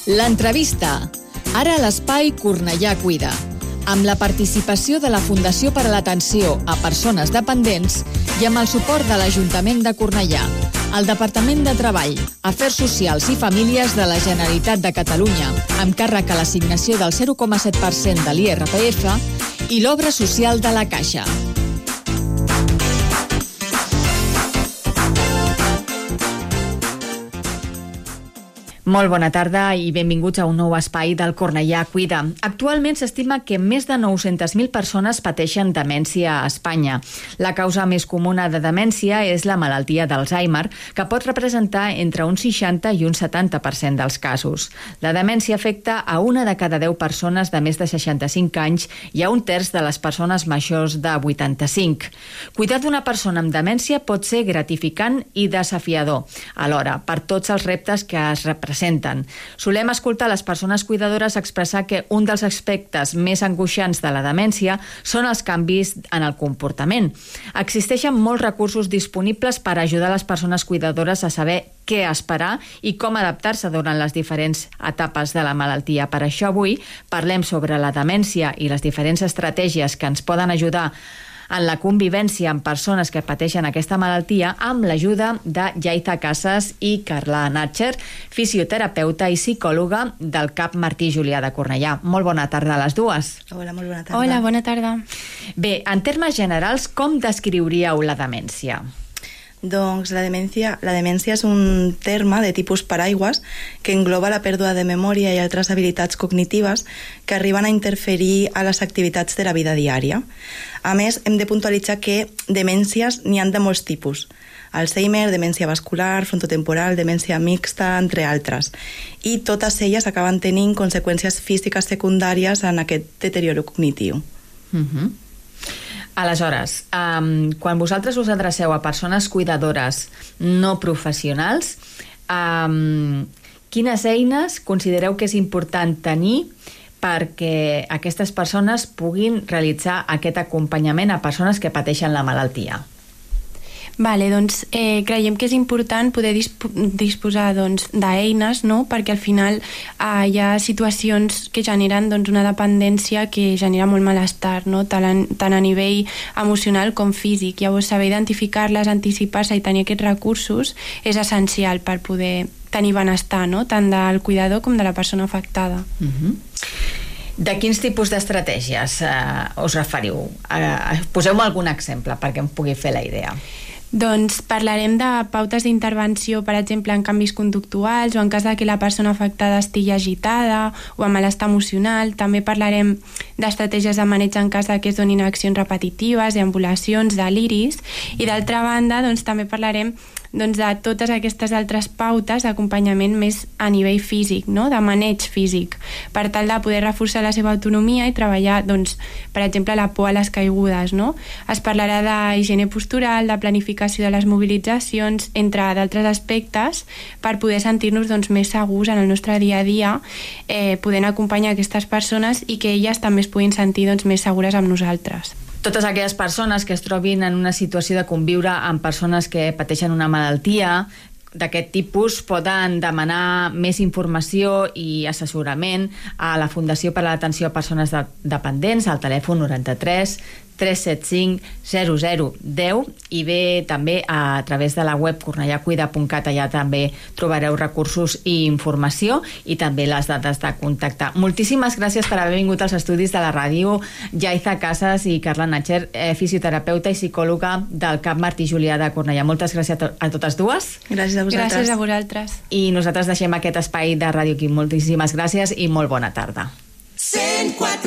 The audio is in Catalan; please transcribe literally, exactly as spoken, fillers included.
L'entrevista. Ara a l'espai Cornellà Cuida, amb la participació de la Fundació per a l'Atenció a Persones Dependents i amb el suport de l'Ajuntament de Cornellà, el Departament de Treball, Afers Socials i Famílies de la Generalitat de Catalunya, amb càrrec a l'assignació del zero coma set per cent de l'I R P F i l'obra social de la Caixa. Molt bona tarda i benvinguts a un nou espai del Cornellà Cuida. Actualment s'estima que més de nou-centes mil persones pateixen demència a Espanya. La causa més comuna de demència és la malaltia d'Alzheimer, que pot representar entre un seixanta i un setanta per cent dels casos. La demència afecta a una de cada deu persones de més de seixanta-cinc anys i a un terç de les persones majors de vuitanta-cinc. Cuidar d'una persona amb demència pot ser gratificant i desafiador, alhora, per tots els reptes que es representen. Solem escoltar les persones cuidadores expressar que un dels aspectes més angoixants de la demència són els canvis en el comportament. Existeixen molts recursos disponibles per ajudar les persones cuidadores a saber què esperar i com adaptar-se durant les diferents etapes de la malaltia. Per això avui parlem sobre la demència i les diferents estratègies que ens poden ajudar en la convivència amb persones que pateixen aquesta malaltia amb l'ajuda de Yaiza Casas i Carla Natcher, fisioterapeuta i psicòloga del C A P Martí Julià de Cornellà. Molt bona tarda a les dues. Hola, molt bona tarda. Hola, bona tarda. Bé, en termes generals, com descriuríeu la demència? Doncs la demència, la demència és un terme de tipus paraigües que engloba la pèrdua de memòria i altres habilitats cognitives que arriben a interferir a les activitats de la vida diària. A més, hem de puntualitzar que demències n'hi han de molts tipus. Alzheimer, demència vascular, frontotemporal, demència mixta, entre altres. I totes elles acaben tenint conseqüències físiques secundàries en aquest deterioro cognitiu. Mhm. Aleshores, um, quan vosaltres us adreceu a persones cuidadores no professionals, um, quines eines considereu que és important tenir perquè aquestes persones puguin realitzar aquest acompanyament a persones que pateixen la malaltia? Vale, doncs eh, creiem que és important poder disp disposar doncs, d'eines, no? Perquè al final eh, hi ha situacions que generen doncs, una dependència que genera molt malestar, no? tant, a, tant a nivell emocional com físic. Llavors saber identificar-les, anticipar-se i tenir aquests recursos és essencial per poder tenir benestar, no? Tant del cuidador com de la persona afectada. Uh-huh. De quins tipus d'estratègies eh, us referiu? Eh, Poseu-me algun exemple perquè em pugui fer la idea. Doncs parlarem de pautes d'intervenció, per exemple, en canvis conductuals o en cas de que la persona afectada estigui agitada o amb malestar emocional. També parlarem d'estratègies de maneig en cas de que es donin accions repetitives, deambulacions, deliris. I d'altra banda, doncs, també parlarem doncs, de totes aquestes altres pautes d'acompanyament més a nivell físic, no? De maneig físic, per tal de poder reforçar la seva autonomia i treballar, doncs, per exemple, la por a les caigudes, no? Es parlarà d'higiene postural, de planificació de les mobilitzacions, entre d'altres aspectes, per poder sentir-nos doncs, més segurs en el nostre dia a dia, eh, podent acompanyar aquestes persones i que elles també es puguin sentir doncs, més segures amb nosaltres. Totes aquelles persones que es trobin en una situació de conviure amb persones que pateixen una malaltia d'aquest tipus poden demanar més informació i assessorament a la Fundació per a l'Atenció a Persones de Dependents al telèfon noranta-tres tres set cinc zero zero deu i bé també a través de la web cornellà cuida punt cat. Allà també trobareu recursos i informació i també les dades de contacte. Moltíssimes gràcies per haver vingut als estudis de la ràdio, Yaiza Casas i Carla Natcher, eh, fisioterapeuta i psicòloga del C A P Martí Julià de Cornellà. Moltes gràcies a, a totes dues. Gràcies a vosaltres. Gràcies a vosaltres. I nosaltres deixem aquest espai de ràdio aquí. Moltíssimes gràcies i molt bona tarda. cent quatre